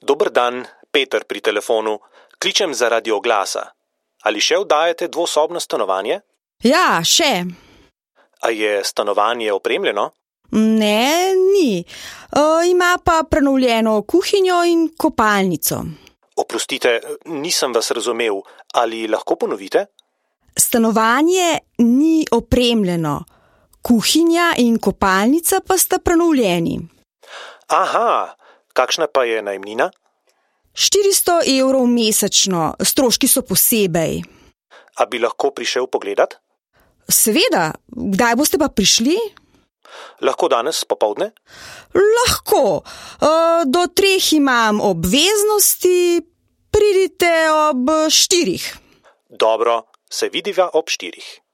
Dober dan, Peter pri telefonu. Kličem zaradi oglasa. Ali še oddajate dvosobno stanovanje? Ja, še. A je stanovanje opremljeno? Ne, ni. Ima pa prenovljeno kuhinjo in kopalnico. Oprostite, nisem vas razumel. Ali lahko ponovite? Stanovanje ni opremljeno. Kuhinja in kopalnica pa sta prenovljeni. Aha, kakšna pa je najemnina? 400 evrov mesečno, stroški so posebej. A bi lahko prišel pogledat? Seveda, kdaj boste pa prišli? Lahko danes popoldne? Lahko, do 3 imam obveznosti, pridite ob 4. Dobro, se vidiva ob 4.